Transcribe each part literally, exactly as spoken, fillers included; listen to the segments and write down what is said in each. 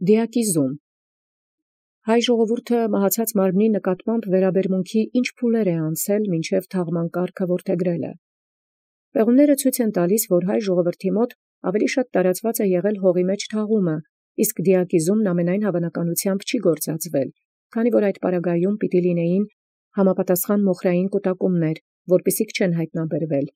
Դիակիզում։ Հայ ժողովուրդը մահացած մարմնի նկատմամբ վերաբերմունքի ինչ փուլեր է անցել մինչև թաղման կարգը որդեգրելը։ Պեղումները ցույց են տալիս, որ հայ ժողովրդի մոտ ավելի շատ տարածված է եղել հողի մեջ թաղումը, իսկ դիակիզումն ամենայն հավանականությամբ չի գործածվել, քանի որ այդ պարագայում պիտի լինեին համապատասխան մոխրային կուտակումներ, որպիսիք չեն հայտնաբերվել։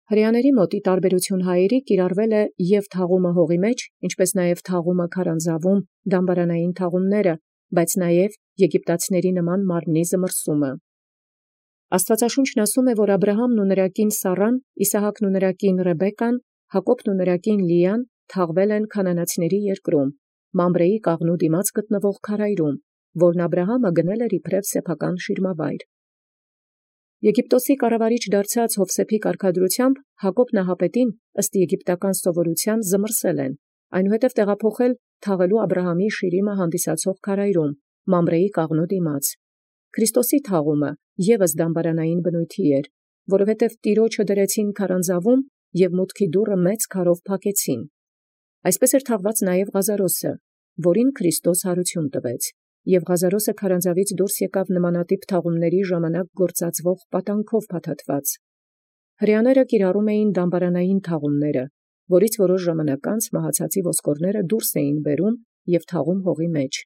Հրեաների մոտ ի տարբերություն հայերի կիրառվել է և թաղումը հողի մեջ, ինչպես նաև թաղումը քարանձավում, դամբարանային թաղումները, բայց նաև եգիպտացիների նման մարմնի զմռսումը։ Աստվածաշունչն ասում է, որ Աբրահամն ու նրա կին Սառան, Իսահակն ու նրա կին Ռեբեկան, Հակոբն ու նրա կին Լիան թաղվել են քանանացիների երկրում, Մամրեի կաղնու դիմաց գտնվող քարայրում, որն Աբրահամը գնել էր իբրև սեփական շիրմավայր։ Եգիպտոսի կառավարիչ դարձած Յովսեփի կարգադրությամբ Հակոբ նահապետին ըստ եգիպտական սովորութեան զմռսել են, այնուհետև տեղափոխել թաղելու Աբրահամի շիրիմը հանդիսացող քարայրում, Մամրեի կաղնու դիմաց։ Քրիստոսի թաղումը ևս դամբարանային բնույթի էր, որովհետև Տիրոջը դրեցին քարանձավում և մուտքի դուռը մեծ քարով փակեցին։ Այսպես էր թաղված նաև Ղազարոսը, որին Քրիստոս հարություն տվեց, և Ղազարոսը քարանձավից դուրս եկավ նմանատիպ թաղումների ժամանակ գործածվող պատանքով փաթաթված։ Հրեաները կիրառում էին դամբարանային թաղումները, որից որոշ ժամանակ անց մահացածի ոսկորները դուրս էին բերում և թաղում հողի մեջ։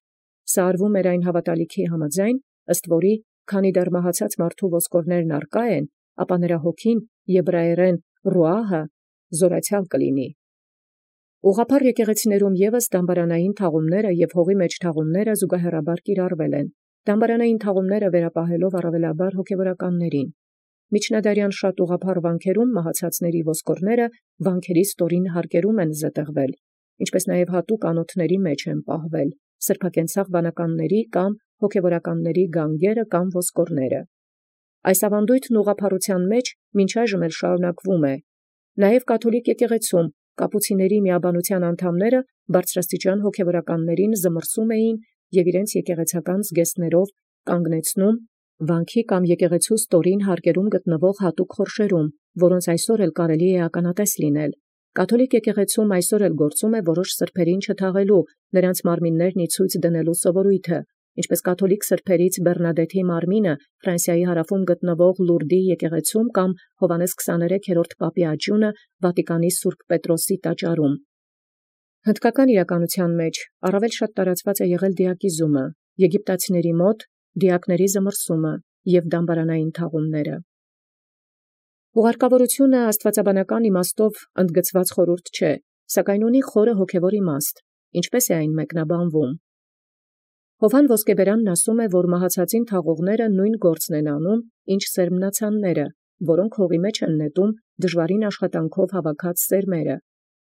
Սա արվում էր այն հավատալիքի համաձայն, ըստ որի, քանի դեռ մահացած մարդու ոսկորներն առկա են, ապա նրա հոգին եբրայերեն ռուահը զորացյալ կլինի։ Ուղղափառ եկեղեցիներում ևս դամբարանային թաղումները և հողի մեջ թաղումները զուգահեռաբար կիրառվել են, դամբարանային թաղումները վերապահելով առավելաբար հոգևորականներին։ Միջնադարյան շատ ուղղափառ վանքերում մահացածների ոսկորները վանքերի ստորին հարկերում են զետեղվել, ինչպես նաև հատուկ անոթների մեջ են պահվել, սրբակենցաղ վանականների կամ հոգևորականների գանգերը կամ ոսկորները։ Այս ավանդույթն ուղղափառության մեջ մինչ այժմ էլ շարունակվում է։ Նաև կաթոլիկ եկեղեցում կապուցիների միաբանության անդամները բարձրաստիճան հոգևորականներին զմռսում էին և իրենց եկեղեցական զգեստներով կանգնեցնում վանքի կամ եկեղեցու ստորին հարկերում գտնվող հատուկ խորշերում, որոնց այսօր էլ կարելի է ականատես լինել։ Կաթոլիկ եկեղեցում այսօր էլ գործում է որոշ սրբերին չթաղելու, նրանց մարմիններն ի ցույց դնելու սովորույթը, ինչպես կաթոլիկ սրբերից Բեռնադեթի մարմինը Ֆրանսիայի հարավում գտնվող Լուրդի եկեղեցում կամ Հովհաննես քսաներեքերորդ պապի աճյունը Վատիկանի Սուրբ Պետրոսի տաճարում։ Հնդկական իրականության մեջ առավել շատ տարածված է եղել դիակիզումը, եգիպտացիների մոտ դիակների զմռսումը և դամբարանային թաղումները։ Ուղարկավորությունը աստվածաբանական իմաստով ընդգծված խորհուրդ չէ, սակայն ունի խորը հոգևոր իմաստ, ինչպես է այն մեկնաբանվում։ Հովհան Ոսկեբերանն ասում է, որ մահացածին թաղողները նույն գործն են անում, ինչ սերմնացանները, որոնք հողի մեջ են նետում դժվարին աշխատանքով հավաքած սերմերը։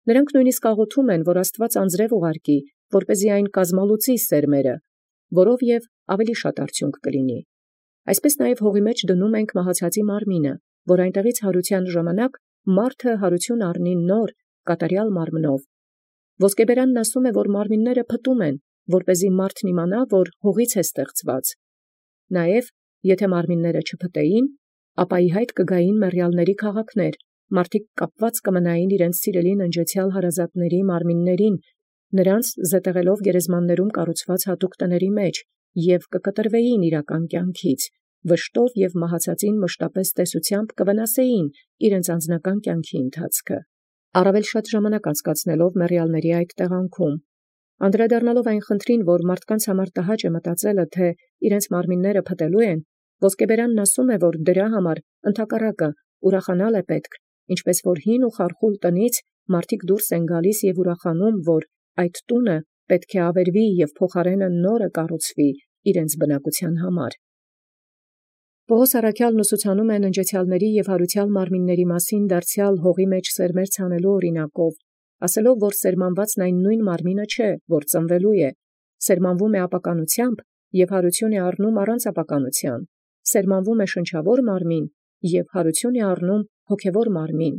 Նրանք նույնիսկ աղոթում են, որ Աստված անձրև ուղարկի, որպեսզի այն կազմալուծի սերմերը, որով և ավելի շատ արդյունք կլինի։ Այսպես նաև հողի մեջ դնում ենք մահացածի մարմինը, որ այնտեղից հարության ժամանակ մարդը հարություն առնի նոր, կատարյալ մարմնով։ Ոսկեբերանն ասում է, որ մարմինները փտում են, որպեսզի մարդն իմանա, որ հողից է ստեղծված։ Նաև, եթե մարմինները չփտեին, ապա ի հայտ կգային մեռյալների քաղաքներ, մարդիկ կապված կմնային իրենց սիրելի ննջեցյալ հարազատների մարմիններին, նրանց զետեղելով գերեզմաններում կառուցված հատուկ տների մեջ, և կկտրվեին իրական կյանքից, վշտով և մահացածին մշտապես տեսությամբ կվնասեին իրենց անձնական կյանքի ընթացքը, առավել շատ ժամանակ անցկացնելով մեռյալների այդ տեղանքում։ Անդրադառնալով այն խնդրին, որ մարդկանց համար տհաճ է մտածելը, թե իրենց մարմինները փտելու են, Ոսկեբերանն ասում է, որ դրա համար ընդհակառակը ուրախանալ է պետք, ինչպես որ հին ու խարխուլ տնից մարդիկ դուրս են գալիս և ուրախանում, որ այդ տունը պետք է ավերվի և փոխարենը նորը կառուցվի իրենց բնակության համար։ Պողոս առաքյալն ուսուցանում է ննջեցյալների և հարուցյալ մարմինների մասին դարձյալ հողի մեջ սերմեր ցանելու օրինակով, ասելով, որ սերմանվածն այն նույն մարմինը չէ, որ ծնվելու է, սերմանվում է ապականությամբ և հարություն է առնում առանց ապականության, սերմանվում է շնչավոր մարմին և հարություն է առնում հոգևոր մարմին։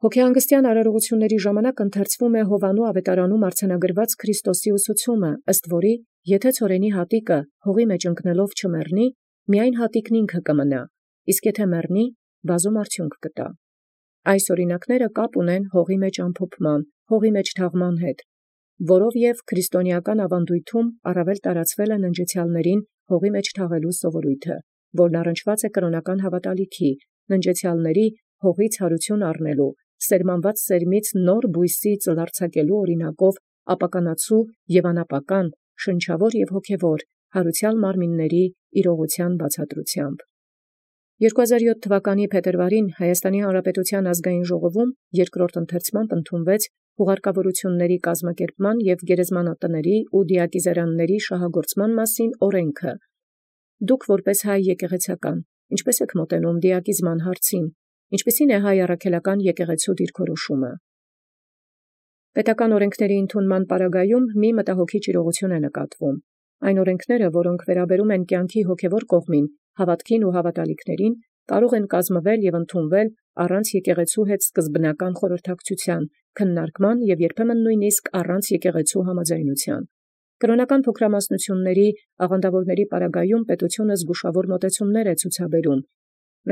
Հոգեհանգստյան արարողությունների ժամանակ ընթերցվում է Հովհաննու ավետարանում արձանագրված Քրիստոսի ուսուցումը, ըստ որի, եթե ցորենի հատիկը հողի մեջ ընկնելով չմեռնի, միայն հատիկն ինքը կմնա, իսկ եթե մեռնի, բազում արդյունք կտա։ Այս օրինակները կապ ունեն հողի մեջ ամփոփման, հողի մեջ թաղման հետ։ որով և քրիստոնեական ավանդույթում առավել տարածվել է ննջեցեալսն հողի մեջ թաղելու սովորութիւնը, որն առնչված է կրոնական հաւատալիքի, ննջեցեալսն հողից յարութիւն առնելու, սերմանված սերմից նոր բույսի ծլարձակելու օրինակով ապականացու և անապական, շնչավոր և հոգևոր յարուցեալ մարմինացն իրողութեան բացատրութեամբ։ երկու հազար յոթ թվականի փետրվարին Հայաստանի Հանրապետության ազգային ժողովում երկրորդ ընթերցումն ընդունվեց հուղարկավորութիւնսն կազմակերպման և գերեզմանատներն ու դիակիզարանացն շահագործման մասին օրենքը։ Դուք որպէս հայ եկեղեցական, ի՞նչպէս եք մոտենում դիակիզման հարցին, ի՞նչպիսին է հայ առաքելական եկեղեցւոյ դիրքորոշումը։ Պետական օրենքսն ընդունման պարագայում մի մտահոգիչ իրողութիւն է նկատվում։ Այն օրենքսն, որոնք վերաբերում են կյանքի հոգևոր կողմին, հաւատքին ու հաւատալիքներին, կարող են կազմվել և ընդունվել առանց եկեղեցւոյ հետ սկզբնական խորհրդակցութեան, քննարկման և երբեմն նույնիսկ առանց եկեղեցւոյ համաձայնութեան։ Կրոնական փոքրամասնութիւնսն աղանդաւորացն պարագայում պետութիւնը զգուշաւոր մոտեցումս է ցուցաբերում,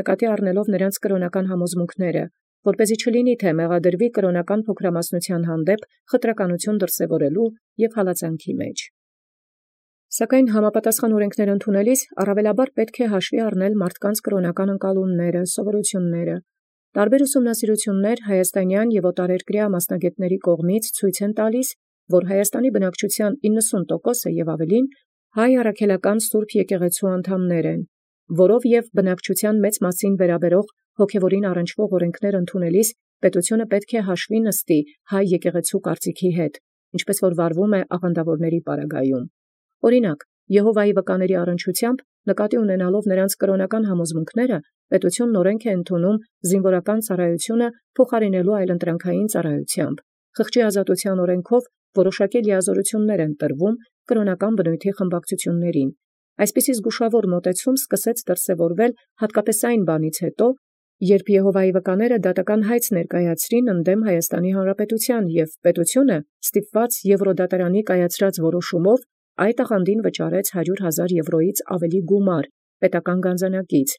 նկատի առնելով նոցին կրոնական համոզմունքս, որպեսզի չլինի թէ մեղադրուի կրոնական փոքրամասնութեան հանդեպ խտրականութիւն դրսևորելու և հալածանքի մեջ։ Սակայն համապատասխան օրենքս ընդունելիս առավելաբար պետք է հաշվի առնել մարդկանց կրոնական ընկալումս, սովորութիւնս։ Տարբեր ուսումնասիրութիւնս հայաստանյան և օտարերկրյա մասնագետաց կողմից ցույց են տալիս, որ Հայաստանի բնակչութեան իննսուն տոկոսը և ավելին հայ առաքելական սուրբ եկեղեցւոյ անդամներ են, որով և բնակչութեան մեծ մասին վերաբերող հոգևորին առնչվող օրենքս ընդունելիս պետութիւնը պետք է հաշվի նստի հայ եկեղեցւոյ կարծիքի հետ, ինչպէս որ վարվում է աղանդաւորացն պարագայում։ Օրինակ, Եհովայի վկաների առնչութեամբ նկատի ունենալով նոցին կրոնական համոզմունքս, պետութիւնն օրենք է ընդունում զինուորական ծառայութիւնը փոխարինելու այլընտրանքային ծառայութեամբ, խղճի ազատութեան օրենքով որոշակի լիազորութիւնս են տրվում կրոնական բնույթի խմբակցութիւնսն։ Այսպիսի զգուշաւոր մոտեցում սկսեց դրսևորվել հատկապես այն բանից յետո, երբ Եհովայի վկաները դատական հայց ներկայացրին ընդդեմ Հայաստանի Հանրապետութեան, և պետութիւնը ստիպված Եվրոդատարանի կայացրած որոշումով այդ աղանդին վճարեց հարյուր հազար եվրոյից ավելի գումար պետական գանձանակից,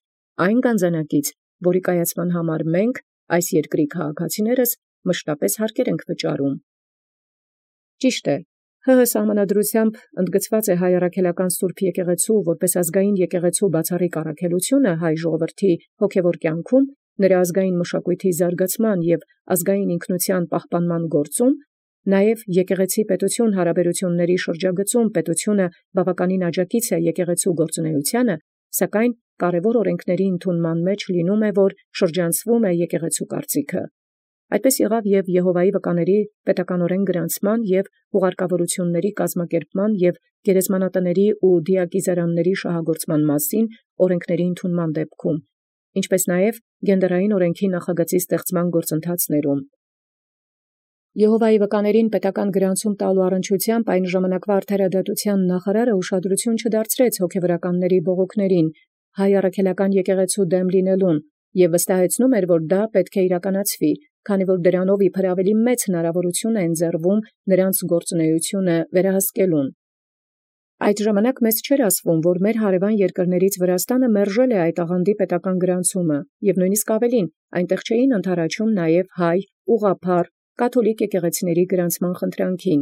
այն գանձանակից, որի կայացման համար մենք, այս երկրի քաղաքացիներս, մշտապես հարկեր ենք վճարում։ Ճիշտ է, ՀՀ սահմանադրութեամբ ընդգծված է հայ առաքելական սուրբ եկեղեցւոյ որպէս ազգային եկեղեցւոյ բացառիկ առաքելութիւնը հայ ժողովրդի հոգևոր կյանքում, նրա ազգային մշակոյթի զարգացման և ազգային ինքնութեան պահպանման գործում, նաև եկեղեցի պետութիւն հարաբերութիւնսն շրջագծում պետութիւնը բավականին աջակից է եկեղեցւոյ գործունեութեանը, սակայն կարևոր օրենքսն ընդունման մեջ լինում է, որ շրջանցվում է եկեղեցւոյ կարծիքը։ Այդպես եղավ և Եհովայի վկաների պետականորեն գրանցման և հուղարկավորութիւնսն կազմակերպման և գերեզմանատներն ու դիակիզարանացն շահագործման մասին օրենքսն ընդունման դեպքում, ինչպէս նաև գենդերային օրենքի նախագծի ստեղծման գործընթացս։ Եհովայի վկաներին պետական գրանցում տալու առնչությամբ այն ժամանակվա արդարադատութեան նախարարը ուշադրութիւն չդարձրեց հոգևորականացն բողոքսն հայ առաքելական եկեղեցւոյ դեմ լինելուն և վստահեցնում էր, որ դա պետք է իրականացվի, քանի որ դրանով իբր ավելի մեծ հնարաւորութիւն է ընձեռվում նոցին գործունեութիւնը վերահսկելուն։ Այդ ժամանակ մեզ չէր ասվում, որ մեր հարևան երկրներից Վրաստանը մերժել է այդ աղանդի պետական գրանցումը, և նույնիսկ ավելին, այնտեղ չէին ընդառաջում նաև հայ, ուղղափառ, կաթոլիկ եկեղեցիների գրանցման խնդրանքին։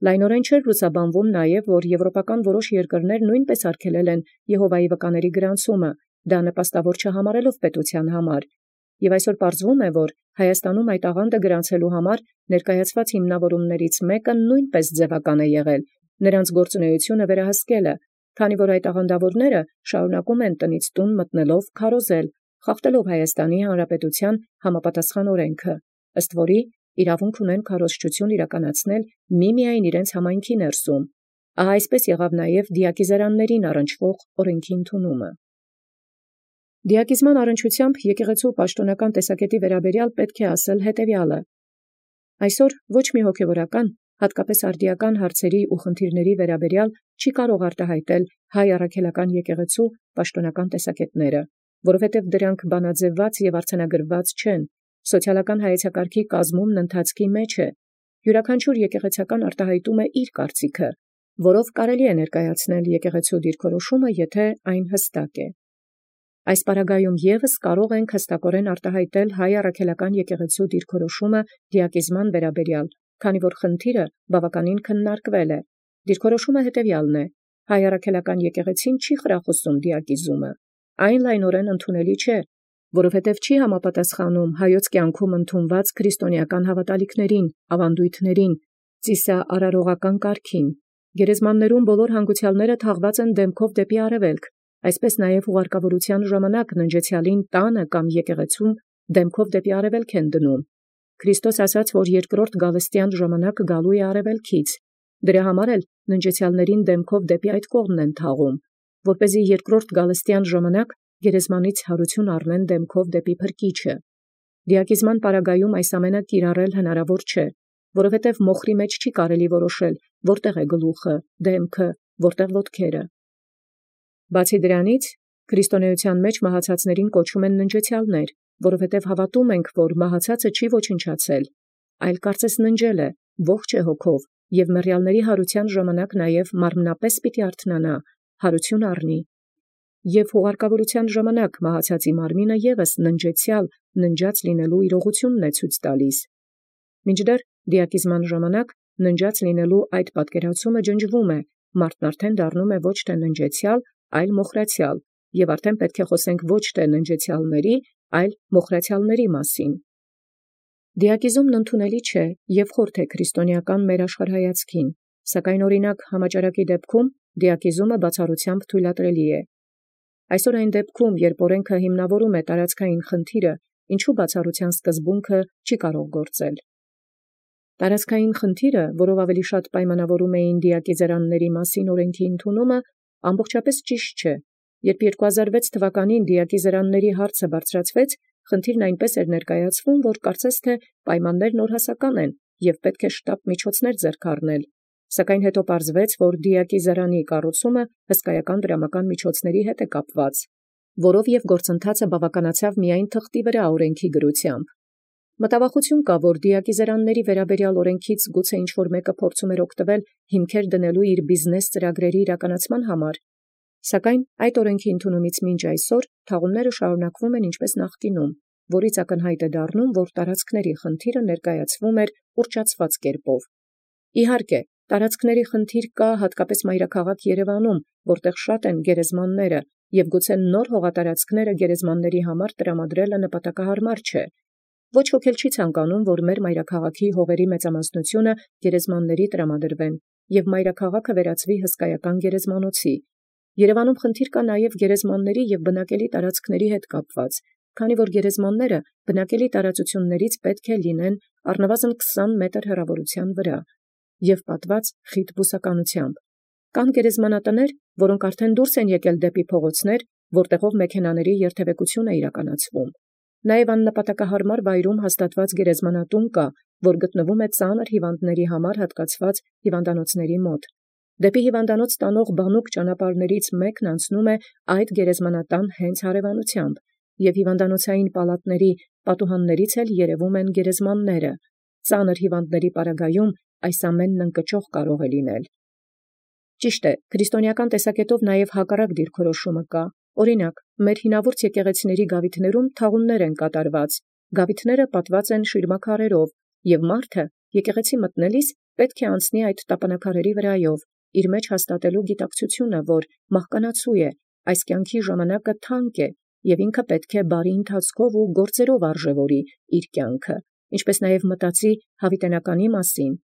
Լայնորեն չէր լուսաբանվում նաև, որ եվրոպական որոշ երկրներ նույնպես արգելել են Եհովայի վկաների գրանցումը, դա նպաստավոր չհամարելով պետութեան համար։ Եւ այսօր պարզվում է, որ Հայաստանում այդ աղանդը գրանցելու համար ներկայացված հիմնավորումներից մեկը նույնպես ձևական է եղել, նրանց գործունեութիւնը վերահսկելը, քանի որ այդ աղանդավորները շարունակում են տնից տուն մտնելով քարոզել, խախտելով Հայաստանի Հանրապետութեան համապատասխան օրենքը, ըստ որի իրավունք ունեն քարոզչութիւն իրականացնել միմիայն իրենց համայնքի ներսում։ Ահա այսպես եղավ նաև դիակիզարանացն առնչվող օրենքի ընդունումը։ Դիակիզման առնչությամբ եկեղեցու պաշտոնական տեսակետի վերաբերյալ պետք է ասել հետևյալը. այսօր ոչ մի հոգևորական, հատկապես արդիական հարցերի ու խնդիրների վերաբերյալ չի կարող արտահայտել հայ առաքելական եկեղեցու պաշտոնական տեսակետները, որովհետև դրանք բանաձևված և արձանագրված չեն, սոցիալական հայեցակարգի կազմումն ընթացքի մեջ է, յուրաքանչյուր եկեղեցական արտահայտում է իր կարծիքը, որով կարելի է ներկայացնել եկեղեցու դիրքորոշումը, եթե այն հստակ է։ Այս պարագայում ևս կարող ենք հստակորեն արտահայտել հայ առաքելական եկեղեցու դիրքորոշումը դիակիզման վերաբերյալ, քանի որ խնդիրը բավականին քննարկվել է։ Դիրքորոշումը հետևյալն է. հայ առաքելական եկեղեցին չի խրախուսում դիակիզումը, այն լայնորեն ընդունելի չէ, որովհետև չի համապատասխանում հայոց կյանքում ընդունված քրիստոնեական հավատալիքներին, ավանդույթներին, ծիսաարարողական կարգին։ Գերեզմաններում բոլոր հանգուցյալները թաղված են դեմքով դեպի արևելք, այսպես նաև ուղարկավորության ժամանակ ննջեցյալին տանը կամ եկեղեցում դեմքով դեպի արևելք են դնում։ Քրիստոս ասաց, որ երկրորդ գալստյան ժամանակ գալու է արևելքից։ Դրա համար էլ ննջեցյալներին դեմքով դեպի այդ կողմն են թաղում, որպեսզի երկրորդ գալստյան ժամանակ գերեզմանից հարություն առնեն դեմքով դեպի փրկիչը։ Դիակիզման պարագայում այս ամենը կիրառել հնարավոր չէ, որովհետև մոխրի մեջ չի կարելի որոշել, որտեղ է գլուխը, դեմքը, որտեղ ոտքերը։ Բացի դրանից, քրիստոնեության մեջ մահացածներին կոչում են ննջեցյալներ, որովհետև հավատում ենք, որ մահացածը չի ոչնչացել, այլ կարծես ննջել է, ողջ է հոգով, և մեռյալների հարության ժամանակ նաև մարմնապես պիտի արթնանա, հարություն առնի։ Եվ հուղարկավորության ժամանակ մահացածի մարմինը ևս ննջեցյալ, ննջած լինելու իրողությունն է ցույց տալիս։ Մինչդեռ դիակիզման ժամանակ ննջած լինելու այդ պատկերացումը ջնջվում է, մարդն արդեն դառնում է ոչ թե ննջեցյալ, այլ մոխրացյալ, և արդեն պետք է խոսենք ոչ թե ննջեցյալների, այլ մոխրացյալների մասին։ Դիակիզումն ընդունելի չէ և խորթ է քրիստոնեական մեր աշխարհայացքին, սակայն օրինակ համաճարակի դեպքում դիակիզումը բացառությամբ թույլատրելի է։ Այսօր այն դեպքում, երբ օրենքը հիմնավորում է տարածքային խնդիրը, ինչու բացառության սկզբունքը չի կարող գործել։ Տարածքային խնդիրը, որով ավելի շատ պայմանավորում էին դիակիզերանների մասին օրենքի ընդունումը, ամբողջապես ճիշտ չէ։ Երբ երկու հազար վեց թվականին դիակիզերանների հարցը բարձրացվեց, խնդիրն այնպես էր ներկայացվում, որ կարծես թե պայմաններն օրհասական են և պետք է շտապ միջոցներ ձեռք առնել։ Սակայն հետո պարզվեց, որ դիակիզերանի կառուցումը հսկայական դրամական միջոցների հետ է կապված, որով և գործընթացը բավականացավ միայն թղթի վրա օրենքի գրությամբ։ Մտավախություն կա, որ դիակիզերանների վերաբերյալ օրենքից գուցե ինչ-որ մեկը փորձում էր օգտվել հիմքեր դնելու իր բիզնես ծրագրերի իրականացման համար, սակայն այդ օրենքի ընդունումից մինչ այսօր թաղումները շարունակվում են ինչպես նախկինում, որից ակնհայտ է դառնում, որ տարածքների խնդիրը ներկայացվում էր ուռճացված կերպով։ Իհարկե, տարածքների խնդիր կա հատկապես մայրաքաղաք Երևանում, որտեղ շատ են գերեզմանները, և գուցե նոր հողատարածքները գերեզմանների համար տրամադրելը նպատակահարմար չէ։ Ոչ ոք էլ չի ցանկանում, որ մեր մայրաքաղաքի հողերի մեծամասնությունը գերեզմանների տրամադրվեն, և մայրաքաղաքը վերածվի հսկայական գերեզմանոցի։ Երևանում խնդիր կա նաև գերեզմանների և բնակելի տարածքների հետ կապված, քանի որ գերեզմանները բնակելի տարածություններից պետք է լինեն առնվազն քսան մետր հեռավորության վրա և պատված խիտ բուսականությամբ։ Կան գերեզմանատներ, որոնք արդեն դուրս են եկել դեպի փողոցներ, որտեղով մեքենաների երթևեկություն է իրականացվում։ Նաև աննպատակահարմար վայրում հաստատված գերեզմանատուն կա, որ գտնվում է ծանր հիվանդների համար հատկացված հիվանդանոցների մոտ։ Դեպի հիվանդանոց տանող բանուկ ճանապարհներից մեկն անցնում է այդ գերեզմանատան հենց հարևանությամբ, և հիվանդանոցային պալատների պատուհաններից էլ երևում են գերեզմանները։ Ծանր հիվանդների պարագայում այս ամենն ընկճող կարող է լինել։ Ճիշտ է, քրիստոնեական տեսակետով նաև հակառակ դիրքորոշումը կա։ Օրինակ, մեր հինավուրց եկեղեցիների գավիթներում թաղումներ են կատարված, գավիթները պատված են շիրմաքարերով, և մարդը եկեղեցի մտնելիս պետք է անցնի այդ տապանաքարերի վրայով, իր մեջ հաստատելու գիտակցությունը, որ մահկանացու է, այս կյանքի ժամանակը թանկ է, և ինքը պետք է բարի ընթացքով ու գործերով արժևորի իր կյանքը, ինչպես նաև մտածի հավիտենականի մասին։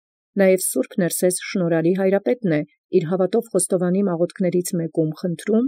Նաև Սուրբ Ներսես շնորհալի Հայրապետն է իր հավատով խոստովանի աղոթքներից մեկում խնդրում,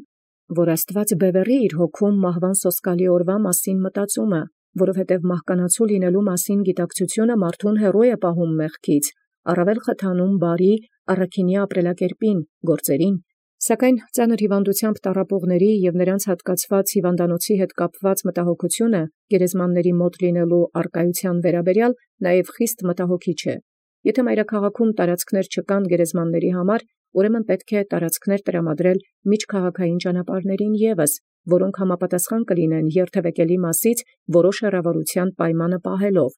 որ Աստված բևեռի իր հոգում մահվան սոսկալի օրվա մասին մտածումը, որովհետև մահկանացու լինելու մասին գիտակցությունը մարդուն հեռու է պահում մեղքից, առավել խթանում բարի առաքինյա ապրելակերպին, գործերին, սակայն ծանր հիվանդությամբ տառապողների և նրանց հատկացված հիվանդանոցի հետ կապված մտահոգությունը գերեզմանների մոտ լինելու առկայության վերաբերյալ նաև խիստ մտահոգիչ է։ Եթե մայրաքաղաքում տարածքներ չկան գերեզմանների համար, ուրեմն պետք է տարածքներ տրամադրել միջքաղաքային ճանապարհներին ևս, որոնք համապատասխան կլինեն երթևեկելի մասից որոշ հեռավորության պայմանը պահելով։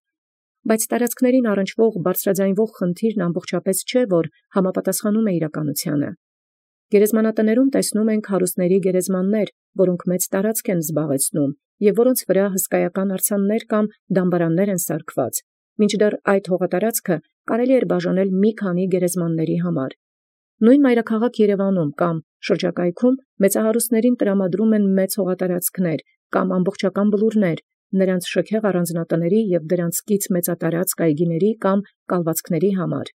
Բայց տարածքներին առնչվող բարձրաձայնվող խնդիրն ամբողջապես չէ, որ համապատասխանում է իրականությանը։ Գերեզմանատներում տեսնում ենք հարուստների գերեզմաններ, որոնք մեծ տարածք են զբաղեցնում, և որոնց վրա հսկայական արձաններ կամ դամբարաններ են սարքված, մինչդեռ այդ հողատարածքը կարելի էր բաժանել մի քանի գերեզմանաց համար։ Նույն մայրաքաղաք Երևանում կամ շրջակայքում մեծահարուստներին տրամադրում են մեծ հողատարածքներ կամ ամբողջական բլուրներ, նրանց շքեղ առանձնատների և դրանց կից մեծատարածք այգիների կամ կալվածքների համար։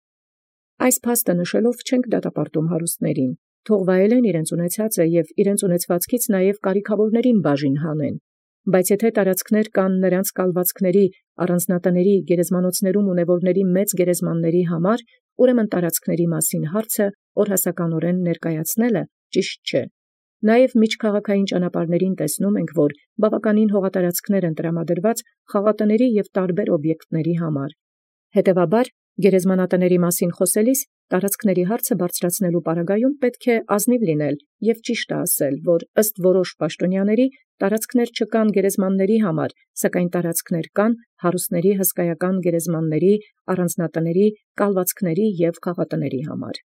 Այս փաստը նշելով չենք դատապարտում հարուստներին, թող վայելեն իրենց ունեցածը և իրենց ունեցվածքից նաև կարիքավորներին բաժին հանեն, բայց եթե տարածքներ կան նրանց կալվածքների, առանձնատների, գերեզմանոցներում ունևորների մեծ գերեզմանների համար, ուրեմն տարածքների մասին հարցը օրհասականորեն ներկայացնելը ճիշտ չէ։ Նաև միջքաղաքային ճանապարհներին տեսնում ենք, որ բավականին հողատարածքներ են տրամադրված խաղատների և տարբեր օբյեկտների համար։ Հետևաբար, գերեզմանատների մասին խոսելիս տարածքների հարցը բարձրացնելու պարագայում պետք է ազնիվ լինել և ճիշտը ասել, որ ըստ որոշ պաշտոնյաների տարածքներ չկան գերեզմանների համար, սակայն տարածքներ կան հարուստների հսկայական գերեզմանների, առանձնատների, կալվածքների և խաղատների համար։